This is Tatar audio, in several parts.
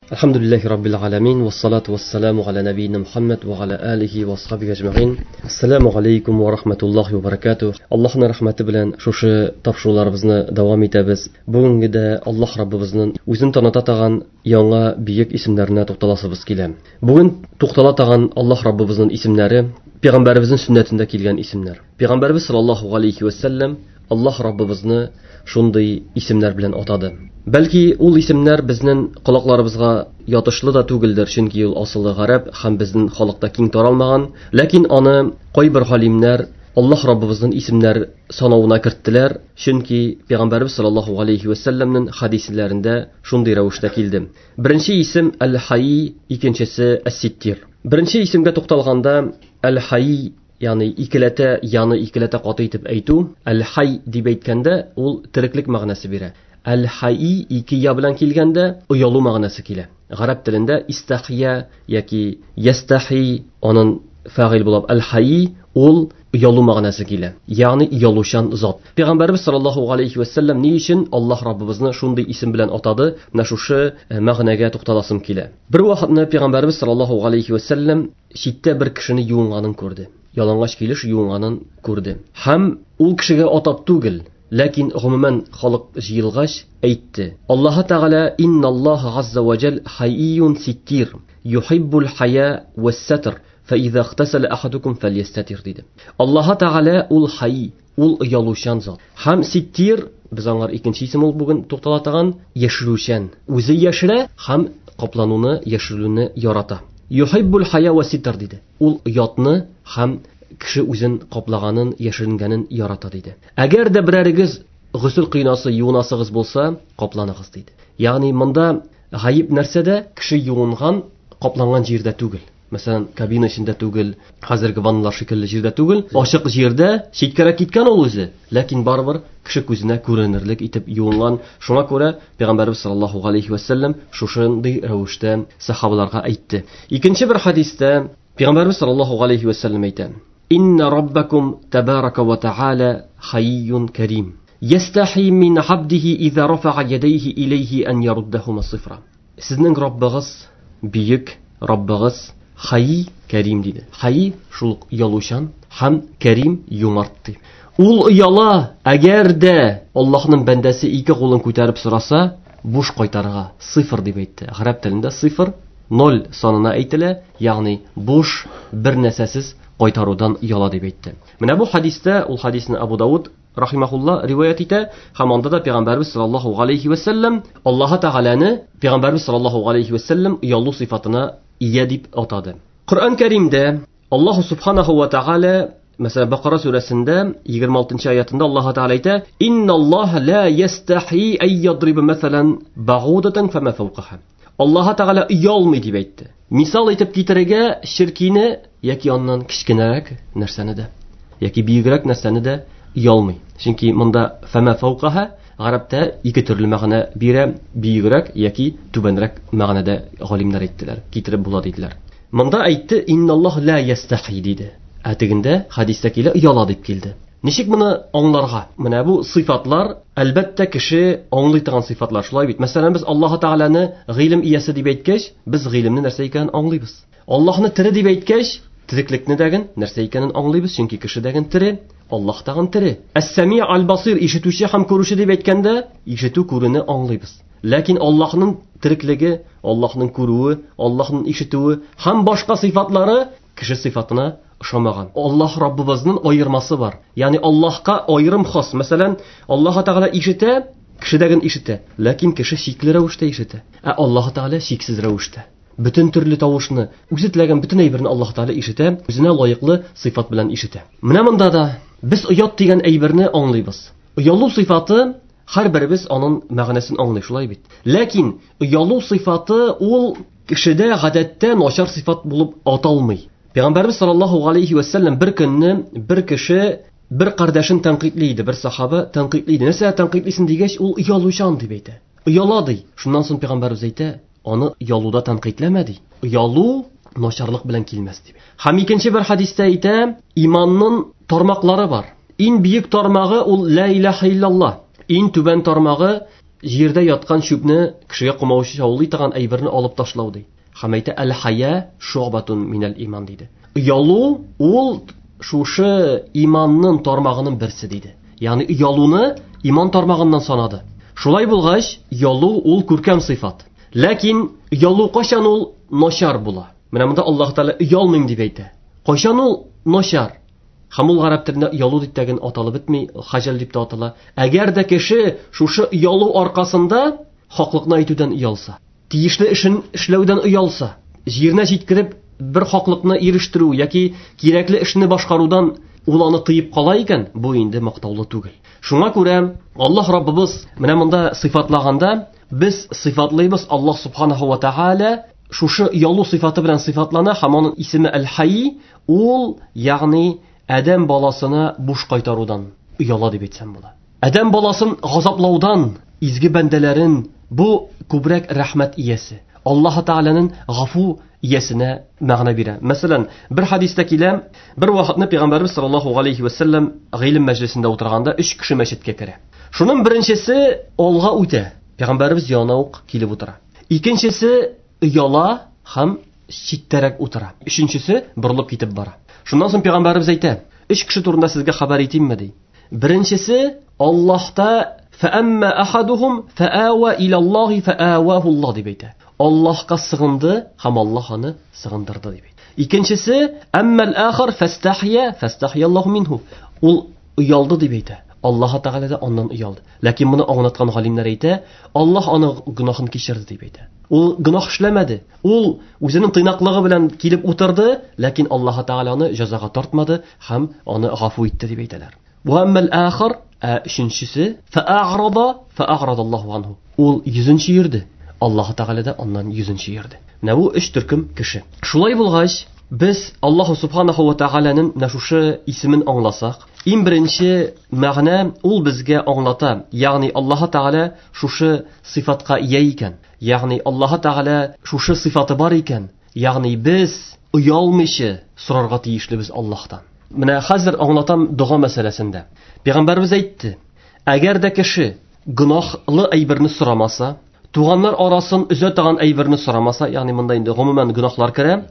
Alhamdulillahi Rabbil alamin, vassalatu vassalamu ala nabiyyina Muhammad va ala alihi va ashabihi ajma'in. Assalomu alaykum va rahmatullohi va barakatuh. Allohning rahmati bilan шушы тапшыруларыбызны дәвам итәбез. Бүгенгедә Аллаһ Раббыбызның үзен таныта торган яңа бөек исемнәренә тукталасыбыз килә. Бүген туктала торган Аллаһ Раббыбызның исемнәре Пәйгамбәребезнең сөннәтендә килгән исемнәр. Пәйгамбәребез саллаллаһу алейхи ва саллям Аллаһ Раббыбызны шундый исемнәр белән атады. Бәлки ул исемнәр безнең колакларыбызга ятышлы да түгелдер, чөнки ул асылы гарәп һәм безнең халыкта киң таралмаган. Ләкин аны кайбер галимнәр Аллаһ Раббыбызның исемнәр санавына керттеләр, чөнки Пәйгамбәребез саллаллаһу алейхи ва саллямның хадисләрендә шундый рәвештә килде. Беренче исем Әл-Хайи, икенчесе Әс-Ситтир. Беренче исемгә тукталганда Әл-Хайи, ягъни икеләтә, яны икеләтә каты итеп әйтү, Әл-Хай дип әйткәндә ул тереклек мәгънәсе бирә. Әл-Хайи ике я белән килгәндә оялу мәгънәсе килә. Гарәп телендә истахия яки ястахи аның фагыйль булып Әл-Хайи ул оялу мәгънәсе килә. Ягъни оялучан зат. Пәйгамбәребез саллаллаһу алейхи ва саллям ни өчен Аллаһ Раббыбызны шундый исем белән атады? Менә шушы мәгънәгә тукталасым килә. Бер вакытны Пәйгамбәребез саллаллаһу алейхи ва саллям читтә бер кешене юынганын күрде. Ялангач килеш юынганын күрде. Һәм ул кешегә атап түгел, ләкин гомумән халык җыелгач әйтте. Аллаһ Тәгалә инналлаһа азза ва җал хайюн ситтир юхиббул хая вас-сатр фа иза ихтасала ахадукум фальястатир диде. Аллаһ Тәгалә ул хай, ул оялучан зат. Һәм ситтир, без аңар икенче исем ул бүген туктала торган, яшерүчән. Үзе яшерә һәм каплануны, яшерүне ярата. Юхиббул хая ва ситр диде. Ул оятны һәм кеше үзен каплаганын, яшеренгәнен ярата диде. Әгәр дә берәрегез госел кыйнасы, юынасыгыз булса, капланыгыз диде. Ягъни монда гаеп нәрсәдә? Кеше юынган, капланган җирдә түгел. Мәсәлән, кабина эчендә түгел, хәзерге ванналар шикелле җирдә түгел, ачык җирдә, читкәрәк киткән ул үзе, ләкин барыбер кеше күзенә күренерлек итеп юынган. Шуңа күрә Пәйгамбәрбез саллаллаһу алейхи ва саллям шушындый рәвештә сахабаларга әйтте. Икенче бер хадистә Пәйгамбәрбез саллаллаһу алейхи ва саллям әйтә: Инна раббакум табарака ва тааля хайюн карим. Ястахи мин абдихи иза рафа'a ядайхи илейхи ан яруddахума сифра. Сезнең Раббыгыз бөек, Раббыгыз Хайи Карим диде. Хайи шул оялучан һәм Карим юмарт ди. Ул ояла, әгәр дә Аллаһның бәндәсе ике кулын күтәреп сораса, буш кайтарырга сифр дип әйтте. Гарәп телендә сифр ноль санына әйтелә, ягъни буш бер нәрсәсез кайтарудан ояла дип әйтте. Менә бу хадистә, ул хадисне Абу Дауд рахимахулла риваять итә, һәм анда да Пәйгамбәрбез саллаллаһу алейхи ва саллям Аллаһ Тәгаләне Пәйгамбәрбез саллаллаһу алейхи ва саллям оялу сыйфатына ия дип атады. Коръән Кәримдә Аллаһ субханаху ва тааля, мәсәлән, Бакара сүрәсендә 26 аятында Аллаһ Тәгалә әйтә: Инналлаһа ла ястахи ай ядриба мәсәлән багудатан фама фawqaha. Аллаһ Тәгалә оялмый дип әйтте. Мисал итеп китерергә ширкине яки аннан кечкенәрәк нәрсәне дә, яки биегрәк нәрсәне дә оялмый. Чөнки монда фама фawqaha гарәптә ике төрле мәгънә бирә, биегрәк яки түбәнрәк мәгънәдә галимнәр әйттеләр, китереп була диделәр. Монда әйтте инналлаһ ла ястахи диде. Ә тегендә хадистә килә ояла дип килде. Ничек моны аңларга? Менә бу сыйфатлар, әлбәттә, кеше аңлый торган сыйфатлар, шулай бит. Мәсәлән, без Аллаһ Тәгаләне гыйлем иясе дип әйткәч, без гыйлемне нәрсә икәнен аңлыйбыз. Аллаһны тере дип әйткәч, тереклекне дәген нәрсә икәнен аңлыйбыз, чөнки кеше дәген тере, Аллаһ тагын тере. Әс-Сами аль-Басир ишетүче һәм күрүче дип әйткәндә, ишетү күрүне аңлыйбыз. Ләкин Аллаһның тереклеге, Аллаһның күрүе, Аллаһның ишетүе һәм башка сыйфатлары кеше сыйфатына ошамаган. Аллаһ Раббыбызның аермасы бар. Ягъни Аллаһка аерым хас. Мәсәлән, Аллаһ Тәгалә ишетә, кеше дә генә ишетә, ләкин кеше чикле рәвештә ишетә. Ә Аллаһ Тәгалә чиксез рәвештә. Бөтен төрле тавышны, үзе теләгән бөтен әйберне Аллаһ Тәгалә ишетә, үзенә лаеклы сыйфат белән ишетә. Менә монда да без оят дигән әйберне аңлыйбыз. Оялу сыйфаты һәрберебез аның мәгънәсен аңлый, шулай бит. Ләкин оялу сыйфаты ул кешедә гадәттә начар сыйфат булып аталмый. Пәйгамбәрбез саллаллаһу алейхи ва саллям бер көнне бер кеше бер кардәшен тәнкыйтьли иде, бер сахаба тәнкыйтьли иде. Нәрсә тәнкыйтьлисең дигәч, ул оялучан дип әйтә. Ояла ди. Шуннан соң пәйгамбәрбез әйтә, аны оялуда тәнкыйтьләмә ди. Оялу начарлык белән килмәс дип. Һәм икенче бер хадистә әйтә, иманның тармаклары бар. Иң бөек тармагы ул ла илаһа иллаллаһ. Иң түбән тармагы Җирдә яткан чүпне кешегә комаучы торган әйберне алып ташлау ди. Һәм әйтә әл-хая шуъбатун минәл иман диде. Оялу ул шушы иманның тармагының берсе диде. Ягъни оялуны иман тармагыннан санады. Шулай булгач, оялу ул күркәм сыйфат. Ләкин оялу кайчан ул начар була? Менә монда Аллаһ Тәгалә оялмыйм дип әйтә. Кайчан ул начар? Һәм ул гарәп телендә оялу дип тәген аталып бетми, хаҗал дип тә атала. Әгәр дә кеше шушы оялу аркасында хаклыкны әйтүдән оялса, тиешле эшен эшләүдән оялса, җиренә җиткереп бер хаклыкны ирештерү яки кирәкле эшне башкарудан ул аны тыеп кала икән, бу инде мактаулы түгел. Шуңа күрә Аллаһ Раббыбыз менә монда сыйфатлаганда без сыйфатлыйбыз Аллаһ субханаһу ва тааля шушы оялу сыйфаты белән сыйфатлана һәм аның исеме Әл-Хай, ул ягъни адәм баласына буш кайтарудан ояла дип әйтсәм була. Адәм баласын газаплаудан изге бәндәләрен бу күбрәк рәхмәт иясе. Аллаһ Тааляның гафу иясенә мәгънә бирә. Мәсәлән, бер хадистә килә, бер вакытны Пәйгамбәрбез саллаллаһу алейхи ва саллям гыйлем мәҗлесендә утырганда өч кеше мәчеткә керә. Шуның беренчесе алга үтә. Пәйгамбәрбез янына ук килеп утыра. Икенчесе ояла һәм читтәрәк утыра. Өченчесе борылып китеп бара. Шуннан соң Пәйгамбәрбез әйтә: "Өч кеше турында сезгә хәбәр итимме?" ди. Беренчесе Аллаһта фәәмма ахадухум фәава илаллаһи фәаваху Аллаһ дип әйтә. Аллаһка сыгынды һәм Аллаһ аны сыгындырды дип әйтә. Икенчесе әммәл ахар фастахия фастахия Аллаһу минһу. Ул оялды дип әйтә. Аллаһ Тәгалә дә аннан оялды. Ләкин моны аңлаткан галимнәр әйтә, Аллаһ аның гөнаһын кичерде дип әйтә. Ул гөнаһ эшләмәде. Ул үзенең тыйнаклыгы белән килеп утырды, ләкин Аллаһ Тәгалә аны җәзага тартмады һәм аны гафу итте дип әйтәләр. Ва әммәл ахар, ә өченчесе фәаграда фәаграда Аллаһу анһу. Ул йөзен чөерде. Аллаһ Тәгалә дә аннан йөзен чөерде. Менә бу өч төркем кеше. Шулай булгач, без Аллаһу субханаһу ва тәгаләнең менә шушы исемен аңласак, иң беренче мәгънә ул безгә аңлата, ягъни Аллаһ Тәгалә шушы сыйфатка ия икән, ягъни Аллаһ Тәгалә шушы сыйфаты бар икән, ягъни без оялмыйча сорарга тиешлебез Аллаһтан. Менә хәзер аңлатам дога мәсьәләсендә. Пәйгамбәрбез әйтте, әгәр дә кеше гөнаһлы әйберне сорамаса, туганнар арасын өзә торган әйберне сорамаса, ягъни монда инде гомумән гөнаһлар керә,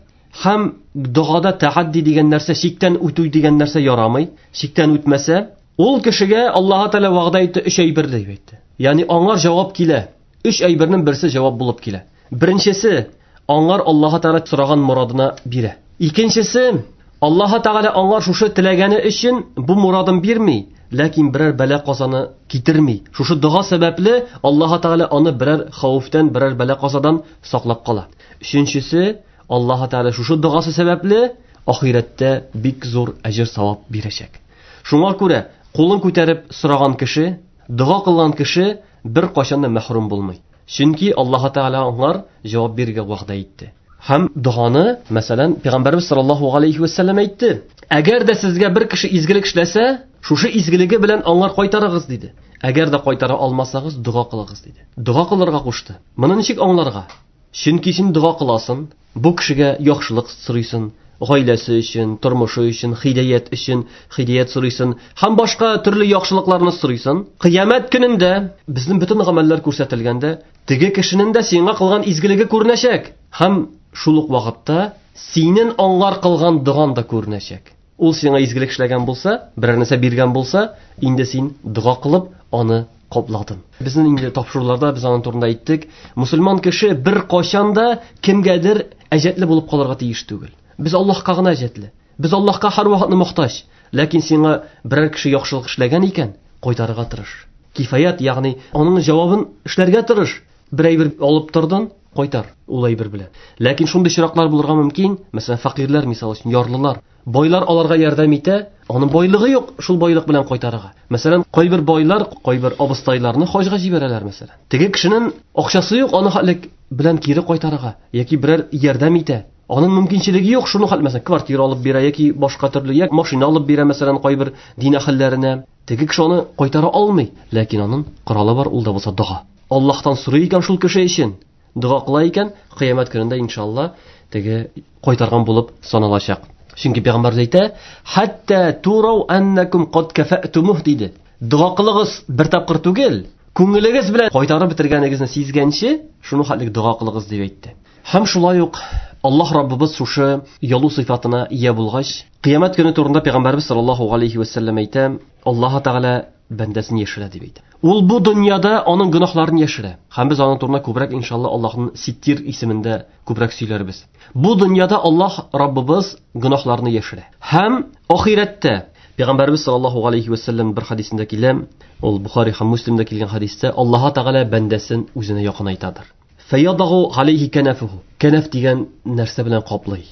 һәм догада тәхадди дигән нәрсә, чиктән үтү дигән нәрсә ярамый, чиктән үтмәсә, ул кешегә Аллаһ Тәгалә вәгъдә итте өч әйбер дип әйтте. Ягъни аңар җавап килә. Өч әйбернең берсе җавап булып килә. Беренчесе, аңар Аллаһ Тәгалә сораган морадына бирә. Икенчесе, Аллаһ Тәгалә аңар шушы теләгәне өчен бу морадын бирми, ләкин берәр бәла казаны китерми. Шушы дога сәбәпле Аллаһ Тәгалә аны берәр хәвефтән, берәр бәла казадан саклап кала. Өченчесе, Аллаһ Тәгалә шушы догасы сәбәпле ахирәттә бик зур әҗер савап бирәчәк. Шуңа күрә кулын күтәреп сораган кеше, дога кылган кеше бер кайчан да мәхрүм булмый. Чөнки Аллаһ Тәгалә аңар җавап бирергә вәгъдә итте. Һәм доганы, мәсәлән, Пәйгамбәрбез саллаллаһу алейхи ва саллям әйтте: "Әгәр дә сезгә бер кеше изгелек эшләсә, шушы изгелеге белән аңар кайтарыгыз" диде. Әгәр дә кайтара алмасагыз, дога кылыгыз диде. Дога кылырга кушты. Моны ничек аңларга? Чөнки син дога кыласың, бу кешегә яхшылык сорыйсың, гаиләсе өчен, тормышы өчен, хидаят өчен, хидаят сорыйсың һәм башка төрле яхшылыкларны сорыйсың. Кыямәт көнендә безнең бөтен гамәлләр күрсәтелгәндә, теге кешенең дә сиңа кылган изгелеге күренәчәк һәм шул ук вакытта синең аңар кылган доган да күренәчәк. Ул сиңа изгелек эшләгән булса, берәр нәрсә биргән булса, инде син дога кылып аны капладың. Безнең инде тапшыруларда без аның турында әйттек. Мусульман кеше бер кайчан да кемгәдер әҗәтле булып калырга тиеш түгел. Без Аллаһка гына әҗәтле. Без Аллаһка һәрвакытны мохтаҗ. Ләкин сиңа берәр кеше яхшылык эшләгән икән, кайтарырга тырыш. Кифаят, ягъни аның җавабын эшләргә тырыш. Бер әйбер алып тордың, кайтар ул әйбер белән. Ләкин шундый очраклар булырга мөмкин, мәсәлән, фәкыйрьләр, мисал өчен, ярлылар. Байлар аларга ярдәм итә, аның байлыгы юк шул байлык белән кайтарырга. Мәсәлән, кайбер байлар, кайбер абыстайларны хаҗга җибәрәләр, мәсәлән. Теге кешенең акчасы юк, аны хәлек белән кире кайтарырга яки берәр ярдәм итә. Аның мөмкинчелеге юк, шуны хәл, мәсәлән, квартира алып бирә яки башка төрле, яки машина алып бирә, мәсәлән, кайбер дин әһелләренә. Теге кеше аны кайтара алмый, ләкин аның коралы бар, ул да булса дога. Аллаһтан сорый икән шул кеше өчен, дога кыла икән, кыямәт көнендә иншалла теге кайтарган булып саналачак. Чөнки пәйгамбәр әйтә, хәтта турау аннакум кад кафатумуh диде. Дога кылыгыз бер тапкыр түгел, Күңелегез белән кайтарып бетергәнегезне сизгәнче, шуны хәтлек дога кылыгыз дип әйтте. Һәм шулай ук Аллаһ Раббыбыз шушы ялу сыйфатына ия булгач, кыямәт көне турында Пәйгамбәрбез саллаллаһу алейхи ва сәлләм әйтә, Аллаһ Тәгалә бәндәсен яшерә дип әйтә. Ул бу дөньяда аның гөнаһларын яшерә. Һәм без аның турында күбрәк иншалла Аллаһның Ситтир исемендә күбрәк сөйләрбез. Бу дөньяда Аллаһ Раббыбыз гөнаһларны яшерә. Һәм ахирәттә Пәйгамбәрбез саллаллаһу алейхи ва сәлләм бер хадисендә килә, ул Бухари һәм Муслимда килгән хадистә Аллаһ Тәгалә бәндәсен үзенә якынайтадыр. Фәядагу алейхи кәнәфуху. Кәнәф дигән нәрсә белән каплый.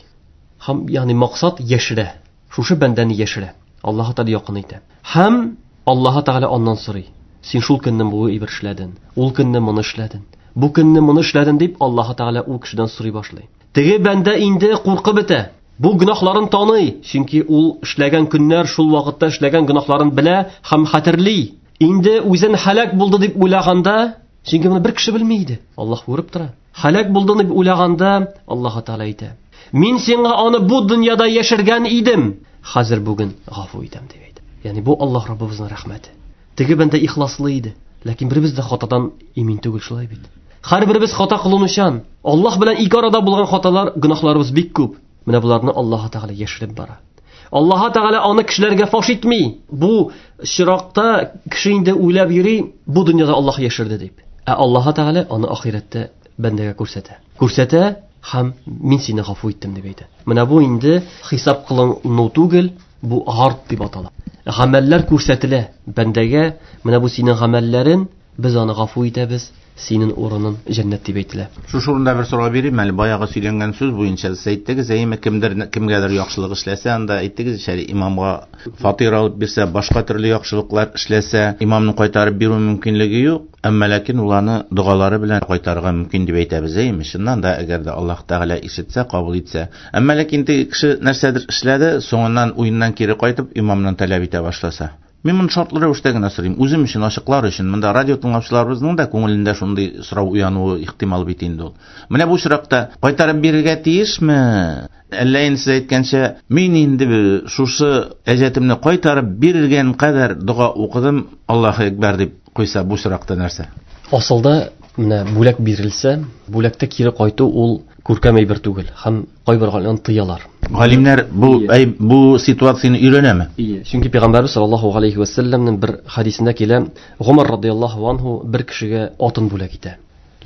Һәм ягъни максат яшерә. Шушы бәндәне яшерә. Аллаһ Тәгалә якын итә. Һәм Аллаһ Тәгалә аннан сорый. Син шул көнне бу әйбер эшләдең, ул көнне моны эшләдең. Бу көнне моны эшләдең дип Аллаһ Тәгалә ул кешедән сорый башлый. Теге бәндә инде куркып бетә. Бу гөнаһларын таный, чөнки ул эшләгән көннәр шул вакытта эшләгән гөнаһларын белә һәм хәтерли. Инде үзен һәлак булды дип уйлаганда, чөнки моны бер кеше белми иде. Аллаһ күреп тора. Һәлак булды дип уйлаганда, Аллаһ Тәгалә әйтә: "Мин сиңа аны бу дөньяда яшергән идем, хәзер бүген гафу итәм" дип әйтә. Ягъни бу Аллаһ Раббыбызның рәхмәте. Теге бәндә ихласлы иде, ләкин беребез дә хатадан имин түгел, шулай бит. Һәрберебез хата кылынучан. Аллаһ белән ике арада булган хаталар, гөнаһларыбыз бик күп. Менә боларны Аллаһ Тәгалә яшереп бара. Аллаһ Тәгалә аны кешеләргә фаш итми. Бу чиракта кеше инде уйлап йөри, бу дөньяда Аллаһ яшерде дип. Ә Аллаһ Тәгалә аны ахирәттә бәндәгә күрсәтә. Күрсәтә һәм мин сине гафу иттем дип әйтә. Менә бу инде хисап кылыну түгел, бу гард дип атала. Гамәлләр күрсәтелә бәндәгә, менә бу синең гамәлләрен, без аны гафу итәбез, синең урының җәннәт дип әйтелә. Шушы урында бер сорау бирим әле, баягы сөйләнгән сүз буенча сез әйттегез, әйеме, кемдер кемгәдер яхшылык эшләсә, анда әйттегез ич әле, имамга фатир алып бирсә, башка төрле яхшылыклар эшләсә, имамны кайтарып бирү мөмкинлеге юк, әмма ләкин ул аны догалары белән кайтарырга мөмкин дип әйтәбез, әйеме? Чыннан да, әгәр дә Аллаһ Тәгалә ишетсә, кабул итсә. Әмма ләкин теге кеше нәрсәдер эшләде, соңыннан уеннан кире кайтып, имамнан таләп итә башласа. Мин моны шартлы рәвештә генә сорыйм. Үзем өчен, ачыклар өчен. Монда радио тыңлаучыларыбызның да күңелендә шундый сорау уянуы ихтимал бит инде ул. Менә бу очракта кайтарып бирергә тиешме? Әллә инде сез әйткәнчә, мин инде шушы әҗәтемне кайтарып биргән кадәр дога укыдым, Аллаһу әкбәр дип куйса, бу очракта нәрсә? Асылда менә бүләк бирелсә, бүләктә кире кайту ул күркәм әйбер түгел һәм кайбер галимнәр тыялар. Галимнәр бу ситуацияне өйрәнәме? Ие, чөнки Пәйгамбәрбез саллаллаһу алейхи ва сәлләмнең бер хадисендә килә, Гомар радияллаһу анһу бер кешегә атын бүләк итә.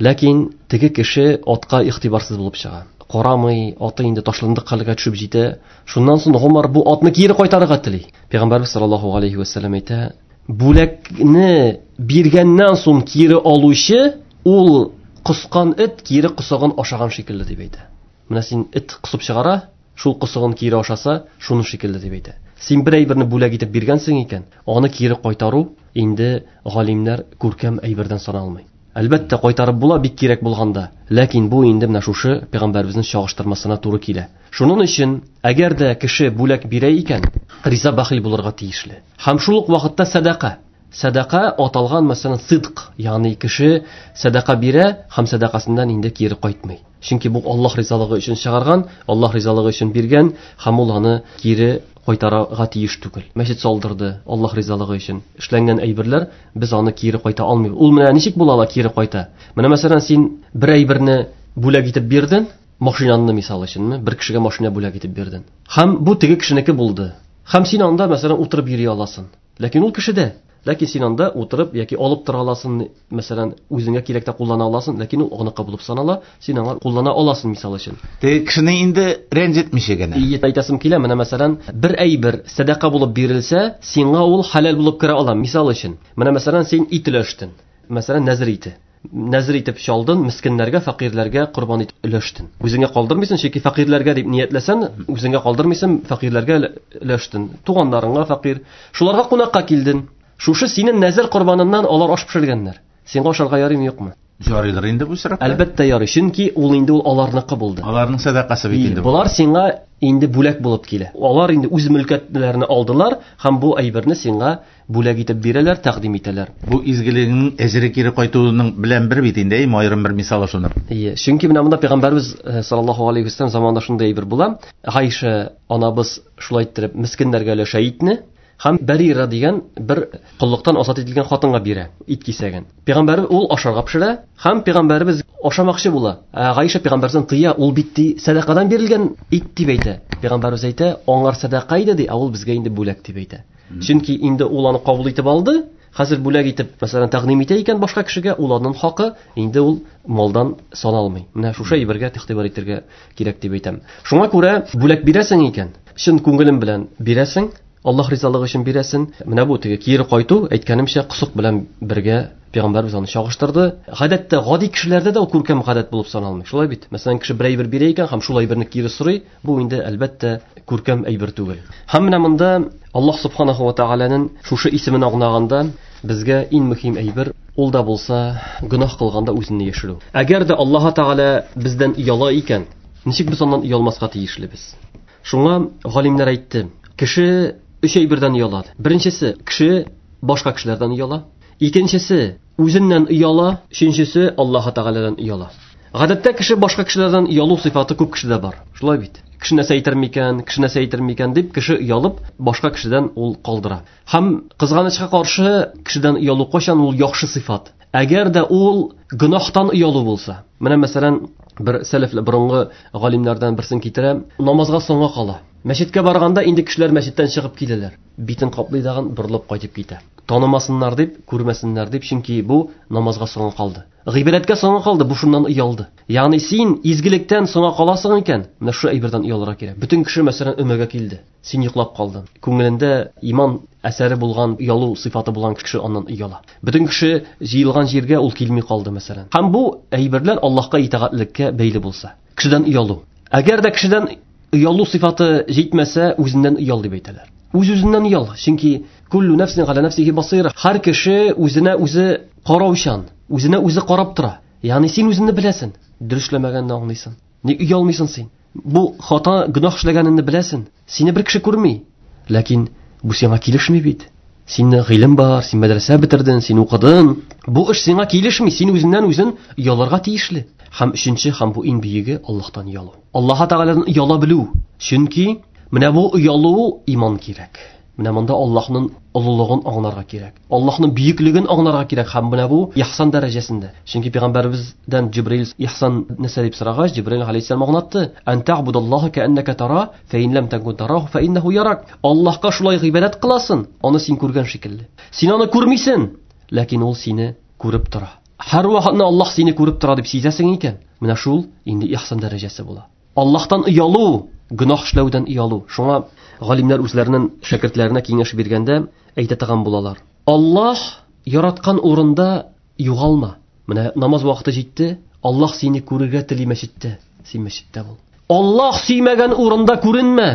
Ләкин теге кеше атка игътибарсыз булып чыга. Карамый, аты инде ташландык хәлгә төшеп җитә. Шуннан соң Гомар бу атны кире кайтарырга тели. Пәйгамбәрбез саллаллаһу алейхи ва сәлләм әйтә, бүләкне биргәннән соң кире алучы ул коскан эт кире косыгын ашаган шикелле дип әйтә. Менә син эт косып чыгара, шул косыгын кире ашаса, шуны шикелле дип әйтә. Син бер әйберне бүләк итеп биргәнсең икән, аны кире кайтару инде галимнәр күркәм әйбердән саналмый. Әлбәттә, кайтарып була бик кирәк булганда, ләкин бу инде менә шушы пәйгамбәребезнең чагыштырмасына туры килә. Шуның өчен, әгәр дә кеше бүләк бирә икән, риза бәхил булырга тиешле. Һәм шул ук вакытта сәдака. Сәдака аталган, мәсәлән, сидк, ягъни кеше сәдака бирә һәм сәдакасыннан инде кире кайтмый. Чөнки бу Аллаһ ризалыгы өчен чыгарган, Аллаһ ризалыгы өчен биргән һәм ул аны кире кайтарырга тиеш түгел. Мәчет салдырды Аллаһ ризалыгы өчен. Эшләнгән әйберләр, без аны кире кайта алмыйбыз. Ул менә ничек була ала кире кайта? Менә мәсәлән, син бер әйберне бүләк итеп бирдең, машинаңны мисал өченме, бер кешегә машина бүләк итеп бирдең. Һәм бу теге кешенеке булды. Һәм син анда мәсәлән утырып йөри аласың. Ләкин ул кешедә. Ләкин син анда утырып яки алып тора аласың, мәсәлән, үзеңә кирәктә куллана аласың, ләкин ул аныкы булып санала, син аңа куллана аласың мисал өчен. Теге кешене инде рәнҗетмичә генә. Ие, әйтәсем килә, менә мәсәлән, бер әйбер сәдака булып бирелсә, сиңа ул хәләл булып керә ала, мисал өчен. Менә мәсәлән, син ит өләштең. Мәсәлән, нәзер ите. Нәзер итеп чалдын, мискиннәргә, фәкыйрьләргә корбан итеп өләштең. Үзеңә калдырмыйсың, чөнки фәкыйрьләргә дип ниятләсәң, үзеңә калдырмыйсың, фәкыйрьләргә өләштең. Туганнарыңа фәкыйрь. Шуларга кунакка килдең. Шушы синең нәзер корбаныннан алар аш пешергәннәр. Сиңа ашарга ярыймы, юкмы? Ярыйдыр инде бу очракта. Әлбәттә ярый, чөнки ул инде ул аларныкы булды. Аларның сәдакасы бит инде. Болар сиңа инде бүләк булып килә. Алар инде үз мөлкәтләрен алдылар һәм бу әйберне сиңа бүләк итеп бирәләр, тәкъдим итәләр. Бу изгелегеңнең әҗере кире кайтуының белән бер бит инде, әйме, аерым бер мисалы шуның. Ие, чөнки менә монда Пәйгамбәрбез саллаллаһу алейхи вәсәлләм заманында шундый әйбер була. Гайшә анабыз шулай иттереп мескеннәргә өләшә итне. Һәм Барира дигән бер коллыктан азат ителгән хатынга бирә ит кисәген. Пәйгамбәрбез ул ашарга пешерә һәм пәйгамбәрбез ашамакчы була. Ә Гайша пәйгамбәрдән тыя, ул бит ди сәдакадан бирелгән ит дип әйтә. Пәйгамбәрбез әйтә, аңар сәдака иде ди, ә ул безгә инде бүләк дип әйтә. Чөнки инде ул аны кабул итеп алды, хәзер бүләк итеп, мәсәлән, тәкъдим итә икән башка кешегә, ул аның хакы инде ул малдан саналмый. Менә шушы әйбергә игътибар итәргә кирәк дип әйтәм. Шуңа күрә бүләк бирәсең икән, чын күңелең белән бирәсең, Аллаһ ризалыгы өчен бирәсең. Менә бу теге кире кайту, әйткәнемчә, косык белән бергә пәйгамбәрбез аны чагыштырды. Гадәттә гади кешеләрдә дә ул күркәм гадәт булып саналмый. Шулай бит? Мәсәлән, кеше бер әйбер бирә икән һәм шул әйберне кире сорый, бу инде әлбәттә күркәм әйбер түгел. Һәм менә монда Аллаһ субханаху ва тааляның шушы исемен аңлаганда безгә иң мөһим әйбер ул да булса гөнаһ кылганда үзеңне яшерү. Әгәр дә Аллаһ Тааля бездән ояла икән, ничек без аннан оялмаска тиешлебез? Шуңа галимнәр әйтте, кеше өч әйбердән оялады. Беренчесе, кеше башка кешеләрдән ояла. Икенчесе, үзеннән ояла. Өченчесе, Аллаһ Таалядан ояла. Гадәттә кеше башка кешеләрдән оялу сыйфаты күп кешедә бар. Шулай бит? Кеше нәрсә әйтер микән, кеше нәрсә әйтер микән дип кеше оялып, башка кешедән ул калдыра. Һәм кызганычка каршы, кешедән оялу кайчан ул яхшы сыйфат? Әгәр дә ул гөнаһтан оялу булса. Менә мәсәлән, бер сәләфле борынгы галимнәрдән берсен китерәм, намазга соңга кала. Мәчеткә барганда инде кешеләр мәчеттән чыгып киләләр. Битен каплый дагын борылып кайтып китә. Танымасыннар дип, күрмәсеннәр дип, чөнки бу намазга соңга калды. Гыйбадәткә соңга калды, бу шуннан оялды. Ягъни син изгелектән соңга каласың икән, менә шул әйбердән оялырга кирәк. Бөтен кеше мәсәлән өмәгә килде. Син йоклап калдың. Күңелендә иман әсәре булган, оялу сыйфаты булган кеше аннан ояла. Бөтен кеше җыелган җиргә ул килми калды мәсәлән. Һәм бу әйберләр Аллаһка итагатьлеккә бәйле булса. Кешедән оялу. Әгәр дә кешедән оялу сыйфаты җитмәсә, үзеннән оял дип әйтәләр. Үз-үзеннән оял, чөнки куллу нәфсин галя нәфсихи басира. Һәр кеше үзенә үзе караучан, үзенә үзе карап тора. Ягъни син үзеңне беләсең, дөресләмәгәнне аңлыйсың. Ник оялмыйсың син? Бу хата, гөнаһ эшләгәнеңне беләсең. Сине бер кеше күрми. Ләкин бу сиңа килешми бит. Синең гыйлем бар, син мәдрәсә бетердең, син укыдың. Бу эш сиңа килешми, син үзеннән үзен оялырга тиешле. Һәм өченче, һәм бу иң бөеге Аллаһтан оялу. Аллаһ Тәгаләдән ояла белү. Чөнки менә бу оялу иман кирәк. Менә монда Аллаһның олылыгын аңларга кирәк. Аллаһның бөеклеген аңларга кирәк һәм менә бу ихсан дәрәҗәсендә. Чөнки пәйгамбәребездән Җибраил ихсан нәрсә дип сорагач, Җибраил алейһиссалам аңлатты: "Ан та'будаллаһа кa'аннака тара, фа ин лам такун тараху фа иннаху ярак". Аллаһка шулай гыйбадәт кыласың, аны син күргән шикелле. Син аны күрмисең, ләкин ул сине күреп тора. Һәр вакытны Аллаһ сине күреп тора дип сизәсең икән, менә шул инде ихсан дәрәҗәсе була. Аллаһтан оялу, гөнаһ эшләүдән оялу. Шуңа галимнәр үзләренең шәкертләренә киңәш биргәндә әйтә торган булалар. Аллаһ яраткан урында югалма. Менә намаз вакыты җитте, Аллаһ сине күрергә тели мәчеттә, син мәчеттә бул. Аллаһ сөймәгән урында күренмә.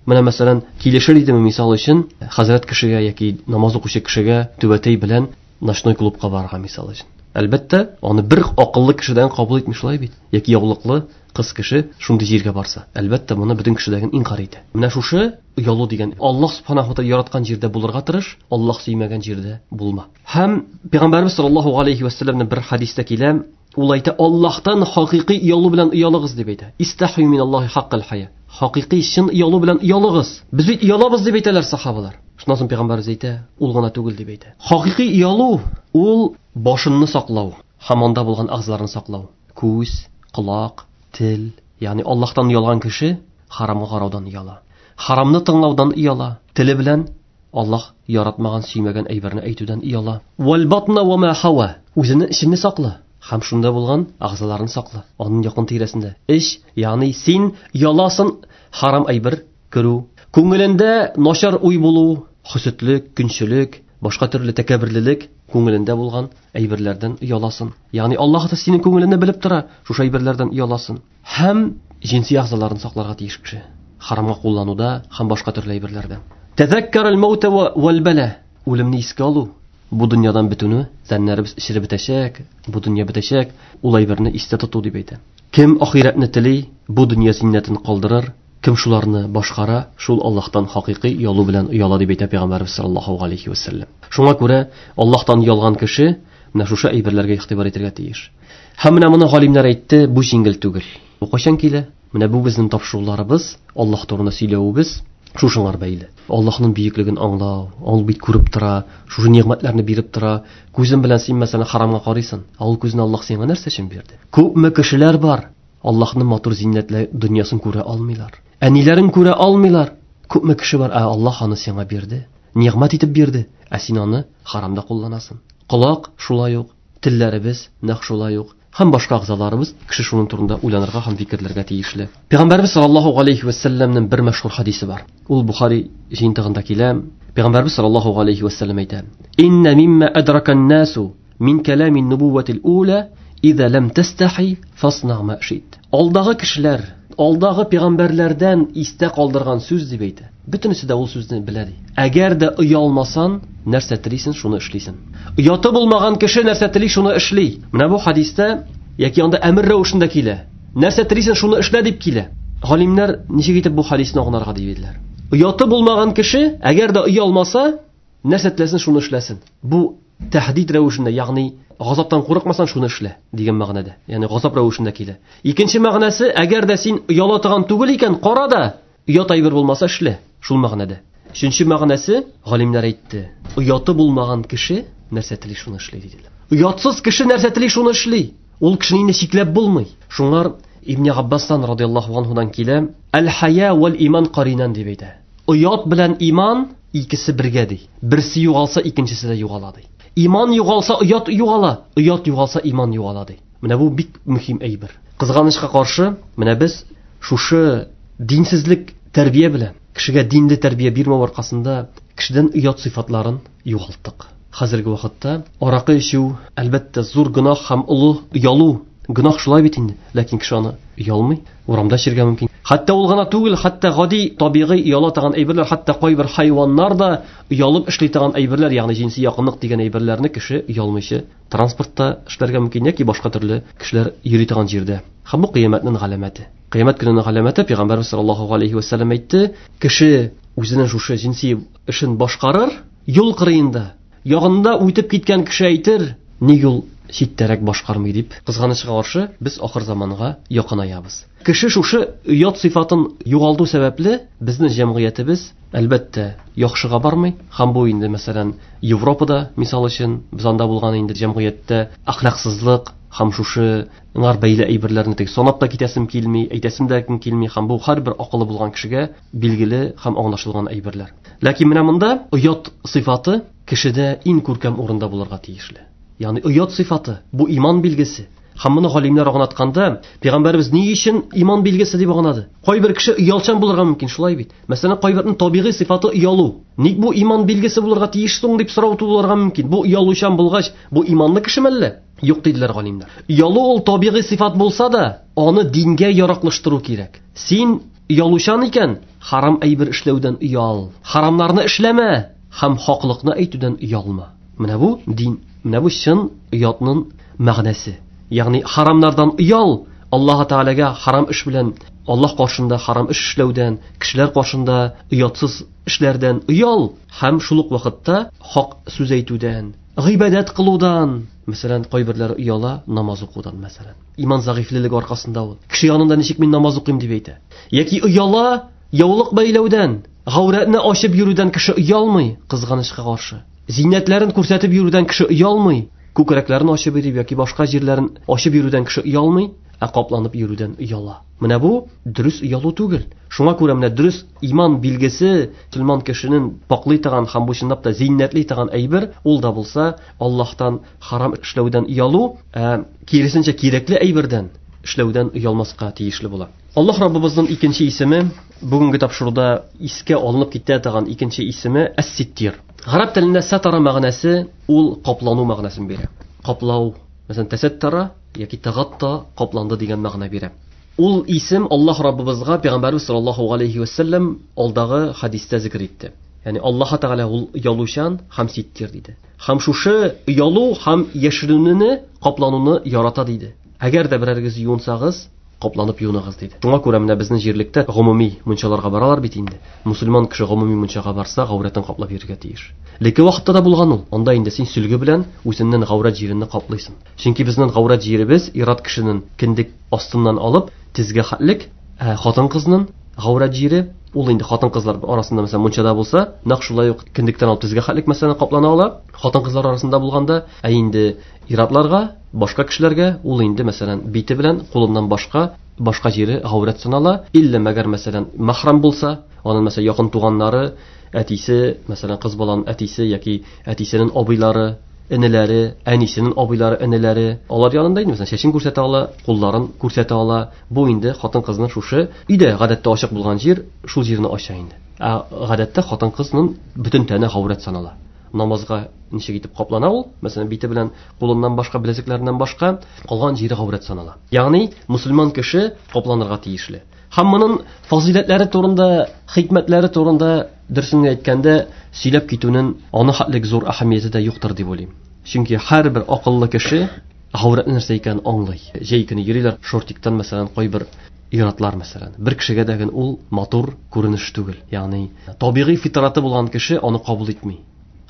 Менә мәсәлән, килешер идеме мисал өчен, хәзрәт кешегә яки намаз укучы кешегә түбәтәй белән ночной клубка барырга мисал өчен. Әлбәттә, аны бер акыллы кешедән кабул итми шулай бит. Яки яулыклы кыз кеше шундый җиргә барса, әлбәттә, моны бөтен кешедәген инкар итә. Менә шушы оялу дигән Аллаһ субханаху ва тааля яраткан җирдә булырга тырыш, Аллаһ сөймәгән җирдә булма. Һәм Пәйгамбәрбез саллаллаһу алейхи ва сәлләмнең бер хадистә килә, ул әйтә, Аллаһтан хакыйкый оялу белән оялыгыз дип әйтә. Истахью миналлаһи хаккал хая. Хакыйкый чын оялу белән оялыгыз. Без бит оялабыз дип әйтәләр сахабалар. Шуннан соң Пәйгамбәрбез әйтә, ул гына түгел дип әйтә. Хакыйкый оялу ул башыңны саклау, һәм анда булган әгъзаларны саклау. Күз, колак, тел, ягъни Аллаһтан оялган кеше харамга караудан ояла. Харамны тыңлаудан ояла. Теле белән Аллаһ яратмаган, сөймәгән әйберне әйтүдән ояла. Вал батна ва ма хава. Үзенең эчен сакла. Һәм шунда булган әгъзаларын сакла. Аның якын тирәсендә. Эч, ягъни син ояласың харам әйбер керү, күңелендә начар уй булу, хөсетлек, көнчелек, башка төрле тәкәбберлек күңелендә булган әйберләрдән ояласың. Ягъни Аллаһ та синең күңелеңне белеп тора, шушы әйберләрдән ояласың. Һәм җинси әгъзаларын сакларга тиеш кеше. Харамга куллануда һәм башка төрле әйберләрдә. Тәзәккәр аль-маута вал-бала. Үлемне искә алу, бу дөньядан бетүне, тәннәребез эчереп бетәчәк, бу дөнья бетәчәк, ул әйберне истә тоту дип әйтә. Кем ахирәтне тели, бу дөнья зиннәтен калдырыр, кем шуларны башкара, шул Аллаһтан хакыйкый оялу белән ояла дип әйтә Пәйгамбәрбез саллаллаһу алейхи ва сәлләм. Шуңа күрә Аллаһтан оялган кеше менә шушы әйберләргә игътибар итәргә тиеш. Һәм менә моны галимнәр әйтте, бу җиңел түгел. Бу кайчан килә? Менә бу безнең тапшыруларыбыз, Аллаһ турында сөйләвебез. Шушыңар бәйле. Аллаһның бөеклеген аңлау, ул бит күреп тора, шушы нигъмәтләрне биреп тора. Күзең белән син мәсәлән харамга карыйсың, ә ул күзне Аллаһ сиңа нәрсә өчен бирде? Күпме кешеләр бар, Аллаһның матур зиннәтле дөньясын күрә алмыйлар. Әниләрен күрә алмыйлар. Күпме кеше бар, ә Аллаһ аны сиңа бирде. Нигъмәт итеп бирде, ә син аны харамда кулланасың. Колак шулай ук, телләребез нәкъ шулай ук. Һәм башка әгъзаларыбыз кеше шуның турында уйланырга һәм фикерләргә тиешле. Пәйгамбәрбез саллаллаһу алейхи ва сәлләмнең бер мәшһүр хадисе бар. Ул Бухари җыентыгында килә. Пәйгамбәрбез саллаллаһу алейхи ва сәлләм әйтә: "Инна мимма адракан насу мин калами нубувватил ула иза лам тастахи фасна ма шит." Алдагы кешеләр, алдагы пәйгамбәрләрдән истә калдырган сүз дип әйтә. Бөтенесе дә ул сүзне белә ди. Әгәр дә оялмасан, нәрсә телисең, шуны эшлисең. Ояты булмаган кеше нәрсә тели, шуны эшли. Менә бу хадистә яки анда әмер рәвешендә килә. Нәрсә телисең, шуны эшлә дип килә. Галимнәр ничек итеп бу хадисны аңларга дип әйттеләр. Ояты булмаган кеше, әгәр дә оялмаса, нәрсә теләсен, шуны эшләсен. Бу тәһдид рәвешендә, ягъни газаптан курыкмасаң, шуны эшлә дигән мәгънәдә. Ягъни газап рәвешендә килә. Икенче мәгънәсе, әгәр дә син ояла торган түгел икән, кара да, оят әйбер булмаса эшлә, шул мәгънәдә. Өченче мәгънәсе, галимнәр әйтте, ояты булмаган кеше нәрсә тели, шуны эшли диделәр. Оятсыз кеше нәрсә тели, шуны эшли. Ул кешене инде чикләп булмый. Шуңар Ибн Аббастан радияллаһу анһудан килә, "Әл-хая вал иман каринан" дип әйтә. Оят белән иман икесе бергә ди. Берсе югалса, икенчесе дә югала ди. Иман югалса, оят югала, оят югалса, иман югала ди. Менә бу бик мөһим әйбер. Кызганычка каршы, менә без шушы динсезлек тәрбия белән, кешегә динле тәрбия бирмәү аркасында кешедән оят сыйфатларын югалттык. Хәзерге вакытта аракы эчү, әлбәттә, зур гөнаһ һәм олы оялу. Гөнаһ шулай бит инде, ләкин кеше аны оялмый, урамда эчәргә мөмкин. Хәтта ул гына түгел, хәтта гади табигый ояла торган әйберләр, хәтта кайбер хайваннар да оялып эшли торган әйберләр, ягъни җенси якынлык дигән әйберләрне кеше оялмыйча транспортта эшләргә мөмкин яки башка төрле кешеләр йөри торган җирдә. Һәм бу кыямәтнең галәмәте. Кыямәт көненең галәмәте, Пәйгамбәрбез саллаллаһу алейхи ва сәлләм әйтте, кеше үзенең шушы җенси эшен башкарыр, юл кырыенда, ягында үтеп киткән кеше әйтер, ник ул читтәрәк башкармый дип. Кызганычка каршы, без ахыр заманга якынаябыз. Кеше шушы оят сыйфатын югалту сәбәпле, безнең җәмгыятебез, әлбәттә, яхшыга бармый. Һәм бу инде, мәсәлән, Европада, мисал өчен, без анда булган инде җәмгыятьтә әхлаксызлык һәм шушы ңар бәйле әйберләрне тик санап та китәсем килми, әйтәсем дә килми, һәм бу һәрбер акыллы булган кешегә билгеле һәм аңлашылган әйберләр. Ләкин менә монда оят сыйфаты кешедә иң күркәм урында булырга тиешле. Ягъни оят сыйфаты бу иман билгесе. Һәм моны галимнәр аңлатканда, Пәйгамбәребез ни өчен иман билгесе дип аңлады? Кайбер кеше оялчан булырга мөмкин, шулай бит. Мәсәлән, кайбернең табигый сыйфаты оялу. Ник бу иман билгесе булырга тиеш соң дип сорау тудырырга мөмкин. Бу оялучан булгач, бу иманлы кешеме әллә? Юк диделәр галимнәр. Оялу ул табигый сыйфат булса да, аны дингә яраклаштыру кирәк. Син оялучан икән, харам әйбер эшләүдән оял. Харамнарны эшләмә һәм хаклыкны әйтүдән оялма. Менә бу дин, менә бу чын оятның мәгънәсе. Ягъни харамнардан оял, Аллаһ Тәгаләгә харам эш белән, Аллаһ каршында харам эш эшләүдән, кешеләр каршында оятсыз эшләрдән оял һәм шул ук вакытта хак сүз әйтүдән, гыйбадәт кылудан, мәсәлән, кайберләре ояла намаз укудан, мәсәлән. Иман зәгыйфьлелеге аркасында ул. Кеше янында ничек мин намаз укыйм дип әйтә. Яки ояла яулык бәйләүдән, гаурәтне ачып йөрүдән кеше оялмый, кызганычка каршы. Зиннәтләрен күрсәтеп йөрүдән кеше оялмый, күкрәкләрен ачып йөрү яки башка җирләрен ачып йөрүдән кеше оялмый, ә капланып йөрүдән ояла. Менә бу дөрес оялу түгел. Шуңа күрә менә дөрес иман билгесе мөселман кешенең паклый торган һәм бу чынлап та зиннәтли торган әйбер, ул да булса Аллаһтан харам эшләүдән оялу, ә киресенчә кирәкле әйбердән эшләүдән оялмаска тиешле була. Аллаһ Раббыбызның икенче исеме, бүгенге тапшыруда искә алынып китә торган икенче исеме Әс-Ситтир. Гарәп телендә сатара мәгънәсе ул каплану мәгънәсен бирә. Каплау, мәсәлән, тәсәттара яки тагатта капланды дигән мәгънә бирә. Ул исем Аллаһ Раббыбызга Пәйгамбәрбез саллаллаһу алейхи ва саллям алдагы хадистә зикр итте. Ягъни Аллаһ Тәгалә ул оялучан һәм ситтир диде. Һәм шушы оялу һәм яшеренүне, каплануны ярата диде. Әгәр дә берәрегез юынсагыз, капланып юыныгыз диде. Шуңа күрә менә безнең җирлектә гомуми мунчаларга баралар бит инде. Мусульман кеше гомуми мунчага барса, гаурәтен каплап йөрергә тиеш. Леке вакытта да булган ул. Анда инде син сөлге белән үзеңнең гаурәт җиреңне каплыйсың. Чөнки безнең гаурәт җиребез ират кешенең кендек астыннан алып тезгә хәтлек, ә хатын-кызның гаурәт җире Ул инде хатын-кызлар арасында, мәсәлән, мунчада булса, нәкъ шулай ук кендектән алып тезгә хәтлек, мәсәлән, каплана ала. Хатын-кызлар арасында булганда, ә инде ир-атларга, башка кешеләргә ул инде, мәсәлән, бите белән кулыннан башка җире гаурәт санала. Иллә мәгәр, мәсәлән, махрам булса, аның, мәсәлән, якын туганнары, әтисе, мәсәлән, кыз баланың әтисе яки әтисенең абыйлары, энеләре, әнисенең абыйлары, энеләре, алар янында инде, мәсәлән, чәчен күрсәтә ала, кулларын күрсәтә ала. Бу инде хатын-кызның шушы өйдә гадәттә ачык булган җир, шул җирне ача инде. Ә гадәттә хатын-кызның бөтен тәне гаурәт санала. Намазга ничек итеп каплана ул, мәсәлән, бите белән кулыннан башка, беләзекләреннән башка калган җире гаурәт санала. Ягъни мусульман кеше капланырга тиешле. Һәм моның фазыйләтләре турында, хикмәтләре турында дөресен әйткәндә сөйләп китүнең аны хәтлек зур әһәмияте дә юктыр дип уйлыйм. Чөнки һәрбер акыллы кеше гаурәтне нәрсә икәнен аңлый. Җәй көне йөриләр шортиктан, мәсәлән, кайбер ир-атлар, мәсәлән. Бер кешегә дә ул матур күренеш түгел. Ягъни табигый фитраты булган кеше аны кабул итми.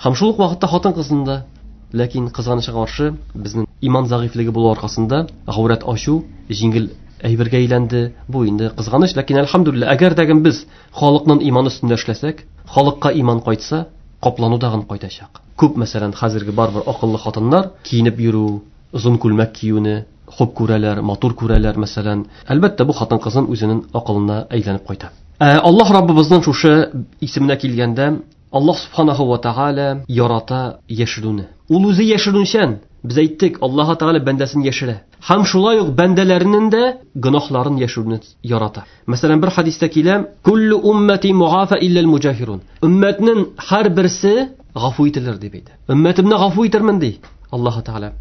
Һәм шул ук вакытта хатын-кызның да, ләкин кызганычка каршы, безнең иман зәгыйфьлеге булу аркасында гаурәт ачу җиңел әйбергә әйләнде. Бу инде кызганыч, ләкин әлхәмдүлилләһ, әгәр дә без халыкның иманы өстендә эшләсәк, халыкка иман кайтса, каплану тагын кайтачак. Күп, мәсәлән, хәзерге барбер акыллы хатыннар киенеп йөрү, озын күлмәк киюне хуп күрәләр, матур күрәләр, мәсәлән. Әлбәттә, бу хатын-кызның үзенең акылына әйләнеп кайта. Аллаһ Раббыбызның шушы исеменә килгәндә, Аллаһ субханаху ва тааля ярата яшерүне. Ул үзе яшерүчән. Без әйттек, Аллаһ Тааля бәндәсен яшерә. Һәм шулай ук бәндәләренең дә гөнаһларын яшерүне ярата. Мәсәлән, бер хадистә килә: "Куллу уммати муафа илля муҗахирун". Өммәтнең һәрберсе гафу ителер дип әйтә. Өммәтемне гафу итермен ди Аллаһ Тааля.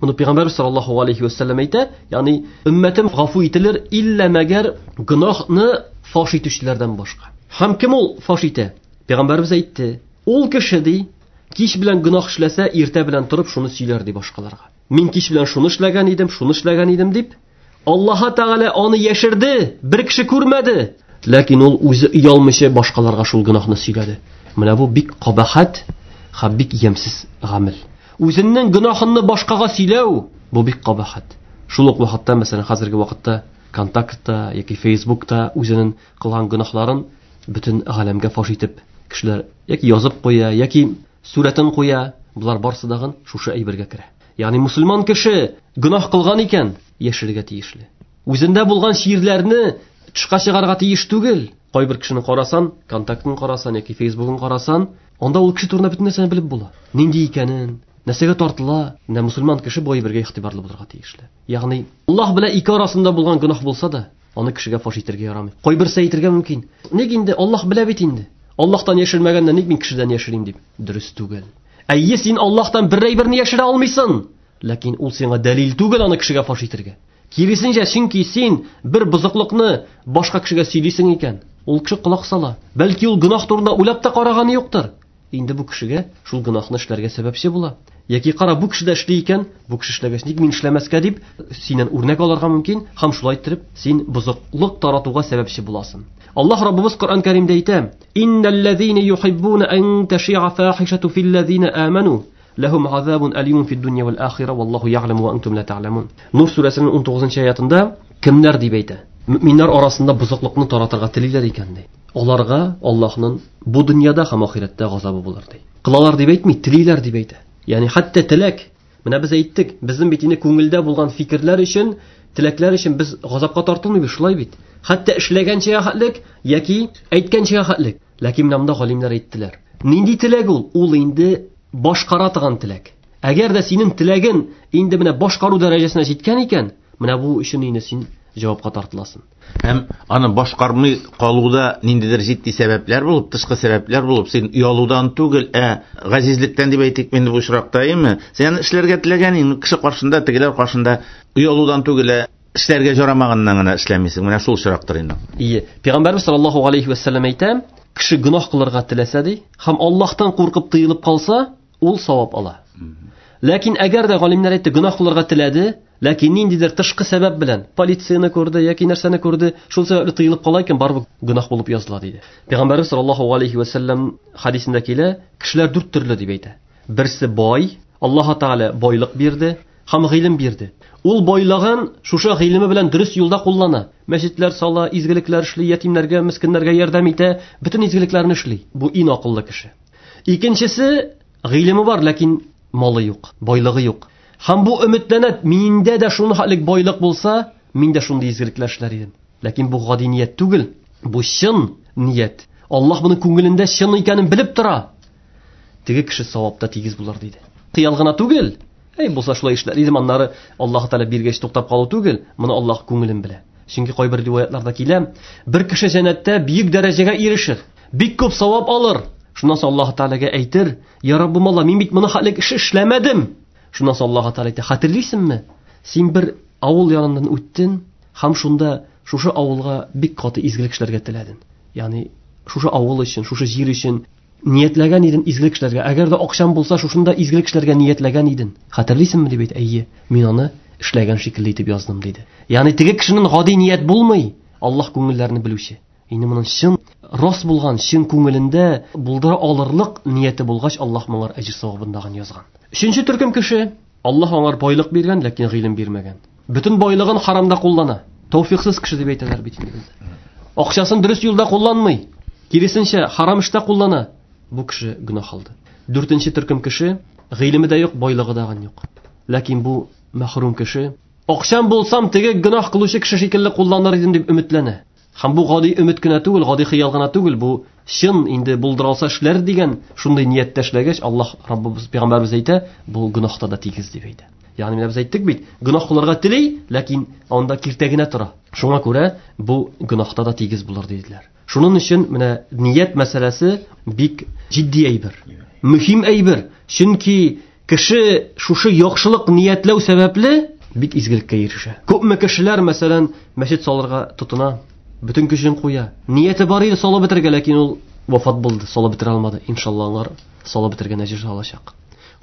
Моны Пәйгамбәр саллаллаһу алейхи ва саллям әйтә, ягъни өммәтем гафу ителер иллә мәгәр гөнаһны фаш итүчеләрдән башка. Һәм кем ул фаш итә? Пәйгамбәребез әйтте: "Ул кеше ди, кич белән гөнаһ эшләсә, иртә белән торып шуны сөйләр ди башкаларга. Мин кич белән шуны эшләгән идем, шуны эшләгән идем дип, Аллаһ Тәгалә аны яшерде, бер кеше күрмәде. Ләкин ул үзе оялмыйча башкаларга шул гөнаһны сөйләде. Менә бу бик кабахәт һәм бик ямьсез гамәл. Үзенең гөнаһын башкага сөйләү бу бик кабахәт. Шул ук вакытта, мәсәлән, хәзерге вакытта Контактта яки Фейсбукта үзенең кылган гөнаһларын бөтен галәмгә фаш итеп кешеләр яки язып куя, яки сурәтен куя. Булар барсы дагын шушы әйбергә керә. Ягъни мусульман кеше гөнаһ кылган икән, яшерергә тиешле. Үзендә булган чирләрне тышка чыгарга тиеш түгел. Кайбер кешене карасан, контактын карасан яки Фейсбугын карасан, анда ул кеше турында бөтен нәрсәне белеп була. Нинди икәнен, нәрсәгә тартыла. Менә мусульман кеше бу әйбергә игътибарлы булырга тиешле. Ягъни Аллаһ белән ике арасында булган гөнаһ булса да, аны кешегә фаш итәргә ярамый. Кайберсе әйтергә мөмкин. Ник инде Аллаһ белә бит инде. Аллаһтан яшермәгәнне ник мин кешедән яшерим дип. Дөрес түгел. Әйе, син Аллаһтан бер әйберне яшерә алмыйсың. Ләкин ул сиңа дәлил түгел аны кешегә фаш итәргә. Киресенчә, чөнки син бер бозыклыкны башка кешегә сөйлисең икән, ул кеше колак сала. Бәлки ул гөнаһ турында уйлап та караганы юктыр. Инде бу кешегә шул гөнаһны эшләргә сәбәпче була. Яки кара, бу кеше дә эшли икән, бу кеше эшләгәч, ник мин эшләмәскә дип, синнән үрнәк алырга мөмкин, һәм шулай иттереп син бозыклык таратуга сәбәпче буласың. Аллаһ Раббыбыз Коръән Кәримдә әйтә: "Иннәлләзина юхиббуна ан таши'a фахишату филләзина аману ләһум азабун алимун фид дунья вал ахира валлаху я'ламу ва антум ла та'ламун". Нур сүрәсенең 19 аятында кемнәр дип әйтә? Мөминнәр арасында бозыклыкны таратырга телиләр икән ди. Аларга Аллаһның бу дөньяда һәм ахирәттә газабы булыр ди. Кылалар дип әйтми, телиләр дип әйтә. Ягъни хәтта теләк. Менә без әйттек, безнең бит инде күңелдә булган фикерләр өчен, теләкләр өчен без газапка тартылмыйбыз, шулай бит. Хәтта эшләгәнчә хәтлек яки әйткәнчә хәтлек. Ләкин менә монда галимнәр әйттеләр. Нинди теләк ул? Ул инде башкара торган теләк. Әгәр дә синең теләгең инде менә башкару дәрәҗәсенә җиткән икән, менә бу өчен инде син җавапка тартыласың. Һәм аны башкармый калуда ниндидер җитди сәбәпләр булып, тышкы сәбәпләр булып, син оялудан түгел, ә газизлектән дип әйтик инде бу очракта, әйеме? Син аны эшләргә теләгән инде кеше каршында, тегеләр каршында оялудан түгел, ә эшләргә ярамаганнан гына эшләмисең. Менә шул очрактыр инде. Ие. Пәйгамбәрбез саллаллаһу алейхи ва саллям әйтә, кеше гөнаһ кылырга теләсә ди, һәм Аллаһтан куркып тыелып калса, ул савап ала. Ләкин әгәр дә галимнәр әйтте, гөнаһ кылырга теләде, ләкин ниндидер тышкы сәбәп белән полицияне күрде яки нәрсәне күрде, шул сәбәпле тыелып кала икән, барыбер гөнаһ булып языла диде. Пәйгамбәрбез саллаллаһу алейхи ва саллям хадисендә килә, кешеләр дүрт төрле дип әйтә. Берсе бай, Аллаһ Тәгалә байлык бирде һәм гыйлем бирде. Ул байлыгын шушы гыйлеме белән дөрес юлда куллана. Мәчетләр сала, изгелекләр эшли, ятимнәргә, мескеннәргә ярдәм итә, бөтен изгелекләрне эшли. Бу иң акыллы кеше. Икенчесе, гыйлеме бар, ләкин малы юк, байлыгы юк. Һәм бу өметләнә, миндә дә шуны хәтлек байлык булса, мин дә шундый изгелекләр эшләр идем. Ләкин бу гади ният түгел, бу чын ният. Аллаһ моның күңелендә чын икәнен белеп тора. Теге кеше савапта тигез булыр диде. Хыял гына түгел. Әй, булса шулай эшләр идем, аннары Аллаһ Тәгалә биргәч туктап калу түгел, моны Аллаһ күңелен белә. Чөнки кайбер риваятларда килә, бер кеше җәннәттә бөек дәрәҗәгә ирешер, бик күп савап алыр. Шуннан соң Аллаһ Тәгаләгә әйтер: "Я Раббым Алла, мин бит моны хәтлек эш эшләмәдем." Шуннан соң Аллаһ Тәгалә әйтә: "Хәтерлисеңме? Син бер авыл яныннан үттең һәм шунда шушы авылга бик каты изгелек эшләргә теләдең. Ягъни шушы авыл өчен, шушы җир өчен ниятләгән идең изгелек эшләргә. Әгәр дә акчаң булса, шушында изгелек эшләргә ниятләгән идең. Хәтерлисеңме?" дип әйтә. "Әйе, мин аны эшләгән шикелле итеп яздым" диде. Ягъни теге кешенең гади ният булмый, Аллаһ күңелләрне белүче. Инде моның чын рас булган, чын күңелендә булдыра алырлык нияте булгач, Аллаһ моңар әҗер савабын дагын язган. Өченче төркем кеше, Аллаһ аңар байлык биргән, ләкин гыйлем бирмәгән. Бөтен байлыгын харамда куллана. Тәүфиксыз кеше дип әйтәләр бит инде бездә. Акчасын дөрес юлда кулланмый. Киресенчә, харам эштә куллана. Бу кеше гөнаһ алды. Дүртенче төркем кеше, гыйлеме дә юк, байлыгы да юк. Ләкин бу мәхрүм кеше, акчам булсам, теге гөнаһ кылучы кеше шикелле кулланыр идем дип өметләнә. Һәм бу гади өмет кенә түгел, гади хыял гына түгел, бу чын инде булдыра алса эшләр дигән шундый нияттә эшләгәч, Аллаһ Раббыбыз пәйгамбәрбез әйтә, бу гөнаһта да тигез дип әйтә. Ягъни менә без әйттек бит, гөнаһ кылырга тели, ләкин анда киртә генә тора. Шуңа күрә бу гөнаһта да тигез булыр диделәр. Шуның өчен менә ният мәсьәләсе бик җитди әйбер. Мөһим әйбер. Чөнки кеше шушы яхшылык ниятләү сәбәпле бик изгелеккә ирешә. Күпме кешеләр, мәсәлән, мәчет салырга тотына, бөтен көчен куя. Нияте бар иде салып бетерергә, ләкин ул вафат булды, салып бетерә алмады. Иншалла, алар салып бетергән әҗер алачак.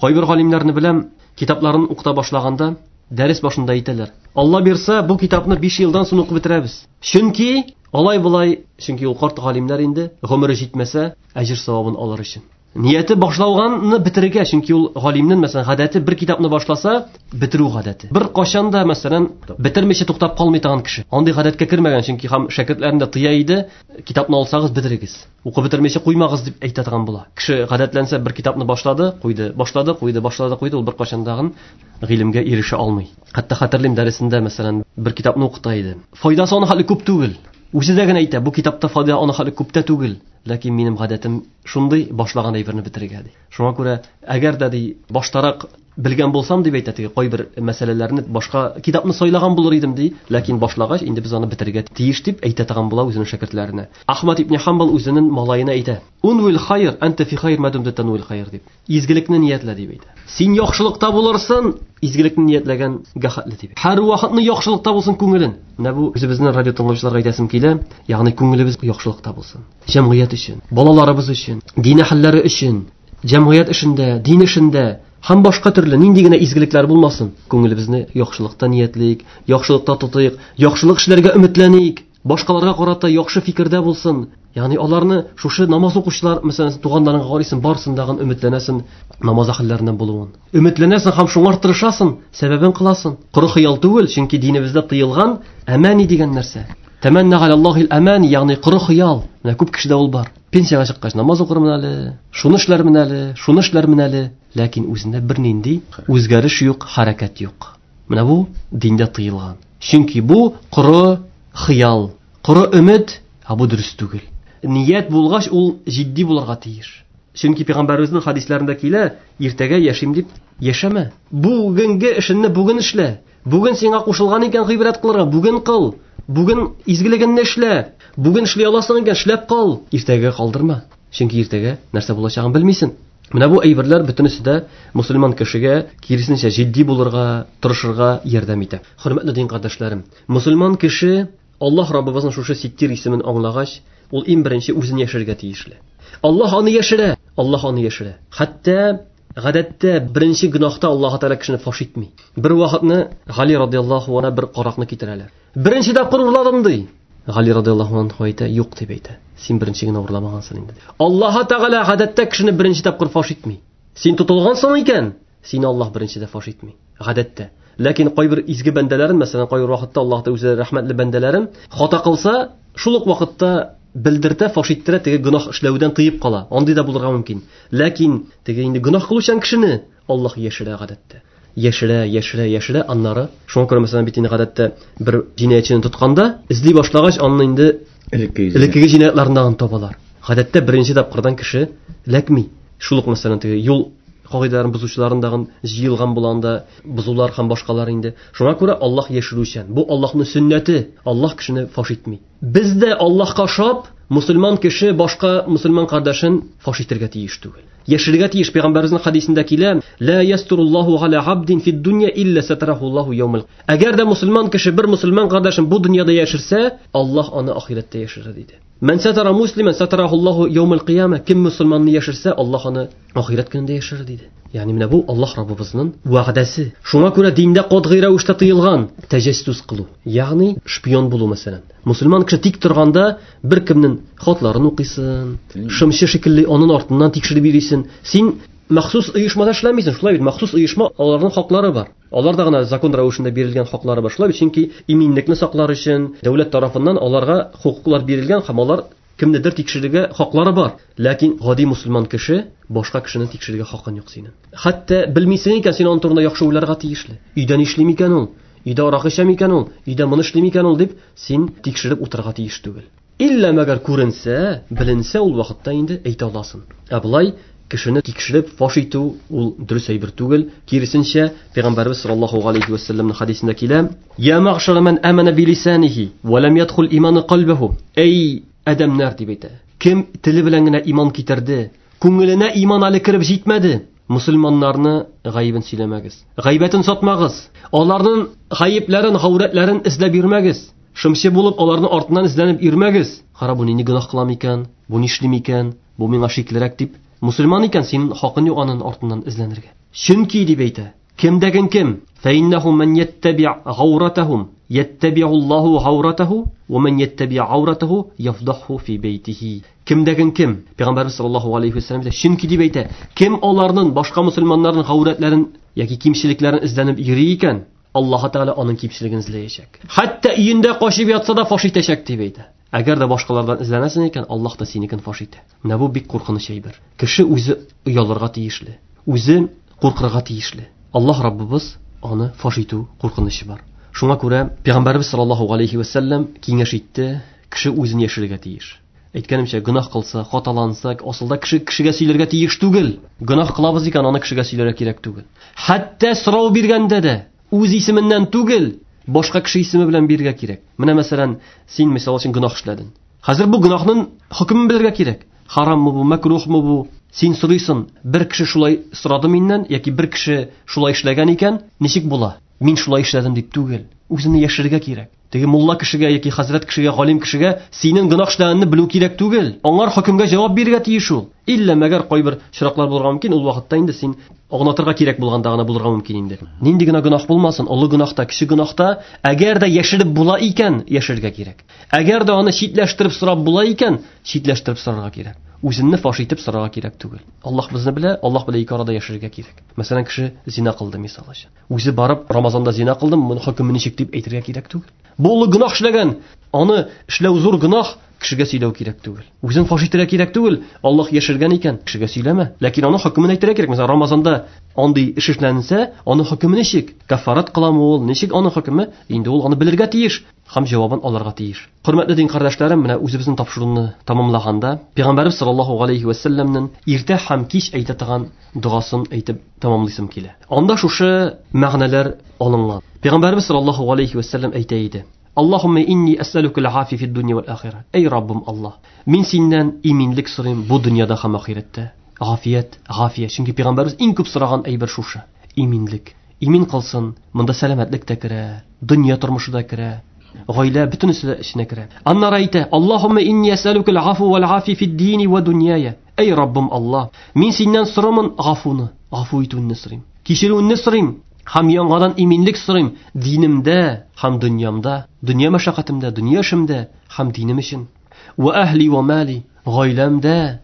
Кайбер галимнәрне беләм, китапларын укыта башлаганда дәрес башында әйтәләр: "Алла бирсә, бу китапны 5 елдан соң укып бетерәбез." Чөнки алай булай, чөнки ул карт галимнәр инде, гомере җитмәсә, әҗер савабын алыр өчен. Нияте башлауганны бетерергә, чөнки ул галимнең, мәсәлән, гадәте бер китапны башласа, бетерү гадәте. Бер кашан да, мәсәлән, бетермичә туктап калмый торган кеше. Андый гадәткә кермәгән, чөнки һәм шәкертләрен дә тыя иде, китапны алсагыз бетерегез. Укып бетермичә куймагыз дип әйтә торган була. Кеше гадәтләнсә, бер китапны башлады, куйды, башлады, куйды, башлады, куйды, ул бер кашан дагын гыйлемгә ирешә алмый. Хәтта хәтерлим дәресендә, мәсәлән, бер китапны укыта иде. Файдасы аны хәле күп түгел. Үзе дә генә әйтә, бу китапта файда аны хәле күп тә түгел. Ләкин минем гадәтем шундый, башлаган әйберне бетерергә ди. Шуңа күрә, әгәр дә ди, баштарак белгән булсам дип әйтә, теге кайбер мәсьәләләрне башка китапны сайлаган булыр идем ди, ләкин башлагач инде без аны бетерергә тиеш дип әйтә торган була үзенең шәкертләренә. Ахмад ибн Хамбал үзенең малаена әйтә: "Унвил хайр, анта фи хайр ма думта танвил хайр" дип. Изгелекне ниятлә дип әйтә. Син яхшылыкта булырсың, изгелекне ниятләгән гәхәтле дип. Һәр вакытны яхшылыкта булсын күңелен. Менә бу үзебезнең радио тыңлаучыларга әйтәсем килә, ягъни күңелебез яхшылыкта булсын. Җәмгыять өчен, балаларыбыз өчен, дин әһелләре өчен, җәмгыять эшендә, дин эшендә һәм башка төрле нинди генә изгелекләр булмасын, күңелебезне яхшылыкта ниятлик, яхшылыкта тотыйк, яхшылык эшләргә өметләник, башкаларга карата яхшы фикердә булсын. Ягъни аларны шушы намаз укучылар, мәсәлән, туганнарыңа карыйсың, барсын дагын өметләнәсең намаз әһелләреннән булуын. Өметләнәсең һәм шуңар тырышасың, сәбәбен кыласың. Коры хыял түгел, чөнки динебездә тыелган әмани дигән нәрсә. Тәмәннә галаллаһил әмани, ягъни коры хыял. Менә күп кешедә ул бар. Пенсиягә чыккач намаз укырмын әле, шуны эшләрмен әле, шуны эшләрмен әле, ләкин үзендә бернинди үзгәреш юк, хәрәкәт юк. Менә бу диндә тыелган. Чөнки бу коры хыял, коры өмет, ә бу дөрес түгел. Ният булгач, ул җитди булырга тиеш. Чөнки пәйгамбәребезнең хадисләрендә килә, иртәгә яшим дип яшәмә. Бүгенге эшеңне бүген эшлә. Бүген сиңа кушылган икән гыйбрәт кылырга, бүген кыл. Бүген изгелегеңне эшлә. Бүген эшли аласың икән, эшләп кал. Иртәгә калдырма. Чөнки иртәгә нәрсә булачагын белмисең. Менә бу әйберләр бөтенесе дә мусульман кешегә киресенчә җитди булырга, тырышырга ярдәм итә. Хөрмәтле дин кардәшләрем, мусульман кеше Аллаһ Раббыбызның шушы Ситтир исемен аңлагач, ул иң беренче үзен яшерергә тиешле. Аллаһ аны яшерә, Аллаһ аны яшерә. Хәтта гадәттә беренче гөнаһта Аллаһ Тәгалә кешене фаш итми. Бер вакытны Гали радиаллаһу анһу бер каракны китерәләр. Беренче тапкыр урладым ди. Гали радиаллаһу анһу әйтә, юк дип әйтә. Син беренче генә урламагансың инде. Аллаһ Тәгалә гадәттә кешене беренче тапкыр фаш итми. Син тотылгансың икән, сине Аллаһ беренчедә фаш итми. Гадәттә. Ләкин кайбер изге бәндәләрен, мәсәлән, кайбер вакытта Аллаһ та үзе рәхмәтле бәндәләрен хата кылса, шул ук вакытта белдертә, фаш иттерә, теге гөнаһ эшләүдән тыеп кала. Андый да булырга мөмкин. Ләкин теге инде гөнаһ кылучан кешене Аллаһ яшерә гадәттә. Яшерә, яшерә, яшерә, аннары. Шуңа күрә, мәсәлән, бит инде гадәттә бер җинаятьчене тотканда, эзли башлагач, аны инде элеккеге җинаятьләреннән табалар. Гадәттә беренче тапкырдан кеше эләкми. Шул ук, мәсәлән, теге юл кагыйдәләрен бозучыларын дагын җыелган була анда, бозулар һәм башкалар инде. Шуңа күрә Аллаһ яшерүчән. Бу Аллаһның сөннәте. Аллаһ кешене фаш итми. Без дә Аллаһка ошап, мусульман кеше башка мусульман кардәшен фаш итәргә тиеш түгел. Яшерергә тиеш. Пәйгамбәребезнең хадисендә килә: "Ла ястуруллаһу аля абдин фид дунья илля сатарахуллаһу яумал". Әгәр дә мусульман кеше бер мусульман кардәшен бу дөньяда яшерсә, Аллаһ аны ахирәттә яшерер диде. Мән сатара муслиман сатарахуллаһу яумал кыяма. Кем мусульманны яшерсә, Аллаһ аны ахирәт көнендә яшерер диде. Ягъни менә бу Аллаһ Раббыбызның вәгъдәсе. Шуңа күрә диндә катгый рәвештә тыелган тәҗәссүс кылу, ягъни шпион булу мәсәлән. Мусульман кеше тик торганда бер кемнең хатларын укыйсын, шымчы шикелле аның артыннан тикшереп йөрисен. Син махсус оешмада эшләмисең, шулай бит? Махсус оешма аларның хаклары бар. Аларда гына закон рәвешендә бирелгән хаклары бар. Шулай бит, чөнки иминлекне саклар өчен дәүләт тарафыннан аларга хокуклар бирелгән һәм алар кемнедер тикшерергә хаклары бар. Ләкин гади мусульман кеше башка кешене тикшерергә хакын юк синең. Хәтта белмисең икән, син аның турында яхшы уйларга тиешле. Өйдә нишли микән ул? Өйдә аракы эчә микән ул? Өйдә моны эшли микән ул дип, син тикшереп утырырга тиеш түгел. Иллә мәгәр күренсә, беленсә, ул вакытта инде әйтә аласың. Ә болай кешене тикшереп фаш итү ул дөрес әйбер түгел. Киресенчә, Пәйгамбәрбез саллаллаһу алейхи ва сәлләмнең хадисендә килә: "Я мәгъшара ман амана билисанихи ва лам ядхул иманы калбаху". Эй адәмнәр дип әйтә. Кем теле белән генә иман китерде, күңеленә иман әле кереп җитмәде, мусульманнарны гаебен сөйләмәгез. Гайбәтен сатмагыз. Аларның гаепләрен, гаурәтләрен эзләп йөрмәгез. Шымчы булып аларның артыннан эзләнеп йөрмәгез. Кара, бу нинди гөнаһ кылам икән, бу нишли микән, бу миңа шиклерәк дип. Мусульман икән, синең хакын юк аның артыннан эзләнергә. Чөнки дип әйтә, кемдәген кем? Фәиннәһу ман яттаби гауратахум яттабиуллаһу гауратаху ва ман яттаби ауратаху яфдаху фи бейтихи. Кемдәген кем? Пәйгамбәрбез саллаллаһу алейхи ва сәлләм әйтә, чөнки дип әйтә, кем аларның башка мусульманнарның гаурәтләрен яки кимчелекләрен эзләнеп йөри икән, Аллаһ Тәгалә аның кимчелеген эзләячәк. Хәтта өендә качып ятса да фаш итәчәк дип әйтә. Әгәр дә башкалардан эзләнәсең икән, Аллаһ та синекен фаш итә. Менә бу бик куркыныч әйбер. Кеше үзе оялырга тиешле, үзе куркырга тиешле. Аллаһ Раббыбыз аны фаш итү куркынычы бар. Шуңа күрә Пәйгамбәрбез саллаллаһу алейхи ва сәлләм киңәш итте, кеше үзен яшерергә тиеш. Әйткәнемчә, гөнаһ кылса, хаталанса, асылда кеше кешегә сөйләргә тиеш түгел. Гөнаһ кылабыз икән, аны кешегә сөйләргә кирәк түгел. Хәтта сорау биргәндә дә үз исеменнән түгел, башка кеше исеме белән бирергә кирәк. Менә мәсәлән, син мисал өчен гөнаһ эшләдең. Хәзер бу гөнаһның хөкемен белергә кирәк. Хараммы бу, мәкрухмы бу? Син сорыйсың, бер кеше шулай сорады миннән, яки бер кеше шулай эшләгән икән, ничек була? Мин шулай эшләдем дип түгел. Үзеңне яшерергә кирәк. Теге мулла кешегә яки хәзрәт кешегә, галим кешегә синең гөнаһ эшләгәнеңне белү кирәк түгел. Аңар хөкемгә җавап бирергә тиеш ул. Иллә мәгәр кайбер очраклар булырга мөмкин, ул вакытта инде син аңлатырга кирәк булганда гына булырга мөмкин инде. Нинди генә гөнаһ булмасын, олы гөнаһ та, кече гөнаһ та, әгәр дә яшереп була икән, яшерергә кирәк. Әгәр дә аны читләштереп сорап була икән, читләштереп сорарга кирәк. Үзеңне фаш итеп сорарга кирәк түгел. Аллаһ безне белә, Аллаһ белән ике арада яшерергә кирәк. Мәсәлән, кеше зина кылды мисал өчен. Үзе барып Рамазанда зина кылдым, моның хөкеме ничек дип әйтергә кирәк түгел. Бу олы гөнаһ эшләгән, аны эшләү зур гөнаһ, кешегә сөйләү кирәк түгел. Үзен фаш итәргә кирәк түгел. Аллаһ яшергән икән, кешегә сөйләмә. Ләкин аның хөкемен әйтергә кирәк. Мәсәлән, Рамазанда андый эш эшләнсә, аның хөкеме ничек? Кафарат кыламы ул? Ничек аның хөкеме? Инде ул аны белергә тиеш һәм җавабын алырга тиеш. Хөрмәтле дин кардәшләрем, менә үзебезнең тапшыруны тамамлаганда, Пәйгамбәрбез саллаллаһу алейхи ва сәлләмнең иртә һәм кич әйтә торган догасын әйтеп тамамлыйсым килә. Анда шушы мәгънәләр алынган. Пәйгамбәрбез саллаллаһу алейхи ва сәлләм әйтә иде: Аллаһумма инни әсәлүкә аль-афия фид дунья вал ахира. Эй Раббым Аллаһ, мин синнән иминлек сорыйм бу дөньяда һәм ахирәттә. Гафият, гафия. Чөнки пәйгамбәрбез иң күп сораган әйбер шушы. Иминлек. Имин кылсын, монда сәламәтлек тә керә, дөнья тормышы да керә, гаилә бөтенесе дә эченә керә. Аннары әйтә: Аллаһумма инни әсәлүкә аль-афу вал афия фид дини ва дуньяя. Эй Раббым Аллаһ, мин синнән сорамын гафуны, гафу итүеңне сорыйм. Кичерүеңне сорыйм һәм яңадан иминлек сорыйм динемдә һәм дөньямда, дөнья мәшәкатемдә, дөнья эшемдә һәм динем өчен. Ва әһли ва мали, гаиләмдә,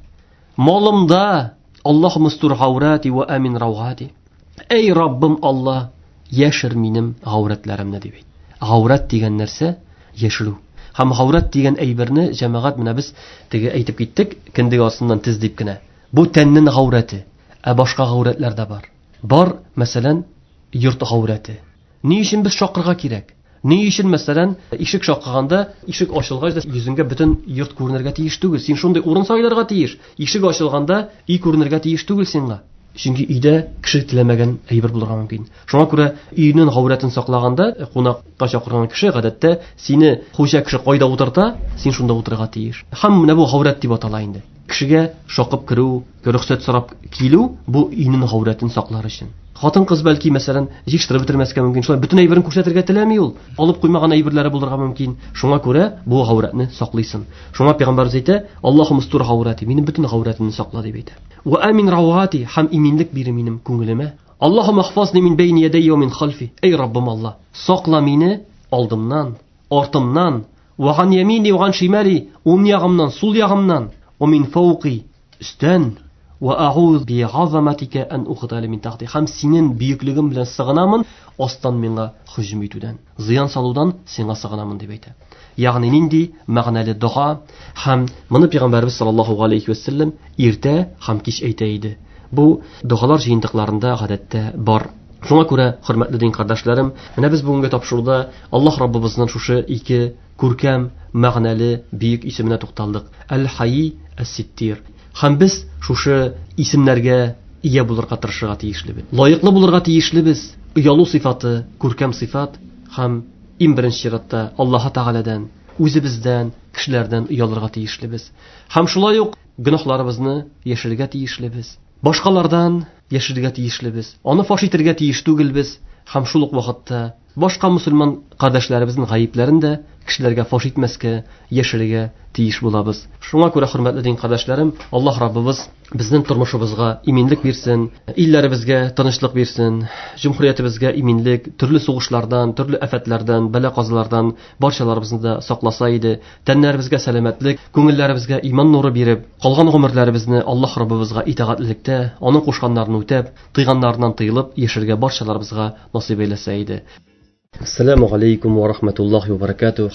малымда. Аллаһумма астур аурати ва амин равати. Эй Раббым Аллаһ, яшер минем гаурәтләремне дип әйт. Гаурәт дигән нәрсә яшерү. Һәм гаурәт дигән әйберне җәмәгать менә без теге әйтеп киттек, кендек астыннан тез дип кенә. Бу тәннең гаурәте, ә башка гаурәтләр дә бар. Бар, мәсәлән, йорт гаурәте. Ни өчен без шакырга кирәк? Ни өчен, мәсәлән, ишек шакыганда, ишек ачылгач да йөзеңгә бөтен йорт күренергә тиеш түгел. Син шундый урын сайларга тиеш. Ишек ачылганда өй күренергә тиеш түгел сиңа. Чөнки өйдә кеше теләмәгән әйбер булырга мөмкин. Шуңа күрә өйнең гаурәтен саклаганда, кунакка чакырган кеше гадәттә сине хуҗа кеше кайда утырта, син шунда утырырга тиеш. Һәм менә бу гаурәт дип атала инде. Кешегә шакып керү, рөхсәт сорап килү бу өйнең гаурәтен саклар өчен. Хатын-кыз бәлки, мәсәлән, җыештырып бетермәскә мөмкин. Шулай бөтен әйберен күрсәтергә теләми ул. Алып куймаган әйберләре булырга мөмкин. Шуңа күрә бу гаурәтне саклыйсың. Шуңа пәйгамбәрбез әйтә: "Аллаһумма устур гаурәти", минем бөтен гаурәтемне сакла дип әйтә. Ва амин равати, һәм иминлек бир минем күңелемә. Аллаһумма ахфазни мин бәйни ядәйя ва мин халфи. Эй Раббым Аллаһ, сакла мине алдымнан, артымнан, ва ган ямини ва ган шимали, уң ягымнан, сул ягымнан, ва мин фауқи, өстән. Ва a'udhu bi 'azamatika an uqtala min tahti. Һәм синең бөеклегең белән сыгынамын, астан миңа һөҗүм итүдән, зыян салудан сиңа сыгынамын дип әйтә. Ягъни нинди мәгънәле дога, һәм моны пәйгамбәрбез саллаллаһу алейхи ва саллям иртә һәм кич әйтә иде. Бу догалар җыентыкларында гадәттә бар. Шуңа күрә, хөрмәтле дин кардәшләрем, менә без бүгенге тапшыруда Аллаһ Раббыбызның шушы ике күркәм, мәгънәле, бөек исеменә тукталдык. Әл-Хайи, Әс-Ситтир. Һәм без шушы исемнәргә ия булырга тырышырга тиешлебез. Лаеклы булырга тиешлебез. Оялу сыйфаты, күркәм сыйфат һәм иң беренче чиратта Аллаһ Тәгаләдән, үзебездән, кешеләрдән оялырга тиешлебез. Һәм шулай ук гөнаһларыбызны яшерергә тиешлебез. Башкалардан яшерергә тиешлебез. Аны фаш итәргә тиеш түгелбез. Һәм шул ук вакытта башка мусульман кардәшләребезнең гаепләрен дә кешеләргә фаш итмәскә, яшерергә тиеш булабыз. Шуңа күрә, хөрмәтле дин кардәшләрем, Аллаһ Раббыбыз безнең тормышыбызга иминлек бирсен, илләребезгә тынычлык бирсен, җөмһүриятебезгә иминлек, төрле сугышлардан, төрле афәтләрдән, бәла-казалардан барчаларыбызны да сакласа иде, тәннәребезгә сәламәтлек, күңелләребезгә иман нуры биреп, калган гомерләребезне Аллаһ Раббыбызга итагатьлелектә, аның кушканнарын үтәп, тыйганнарыннан тыелып яшәргә барчаларыбызга насыйп әйләсә иде. Ассаламу алейкум ва рахматуллахи ва баракатух.